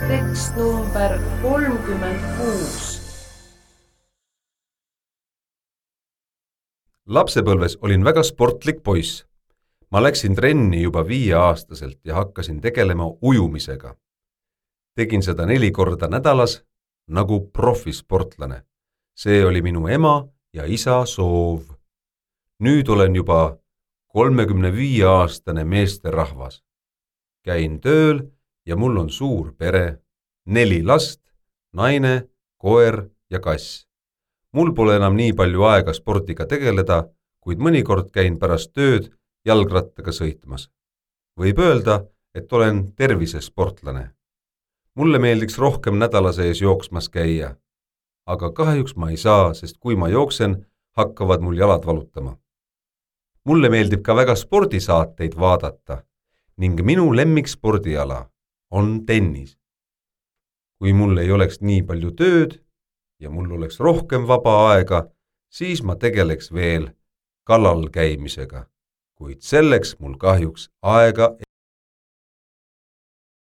Tekst number 36. Lapsepõlves olin väga sportlik poiss. Ma läksin trenni juba 5-aastaselt ja hakkasin tegelema ujumisega. Tegin seda 4 korda nädalas nagu profisportlane. See oli minu ema ja isa soov. Nüüd olen juba 35-aastane meesterahvas. Käin tööl ja mul on suur pere, 4 last, naine, koer ja kass. Mul pole enam nii palju aega spordiga tegeleda, kuid mõnikord käin pärast tööd jalgrattaga sõitmas. Võib öelda, et olen tervisesportlane. Mulle meeldiks rohkem nädala sees jooksmas käia, aga kahjuks ma ei saa, sest kui ma jooksen, hakkavad mul jalad valutama. Mulle meeldib ka väga spordisaateid vaadata ning minu lemmikspordiala on tennis. Kui mul ei oleks nii palju tööd ja mul oleks rohkem vaba aega, siis ma tegeleks veel kallal käimisega, kuid selleks mul kahjuks aega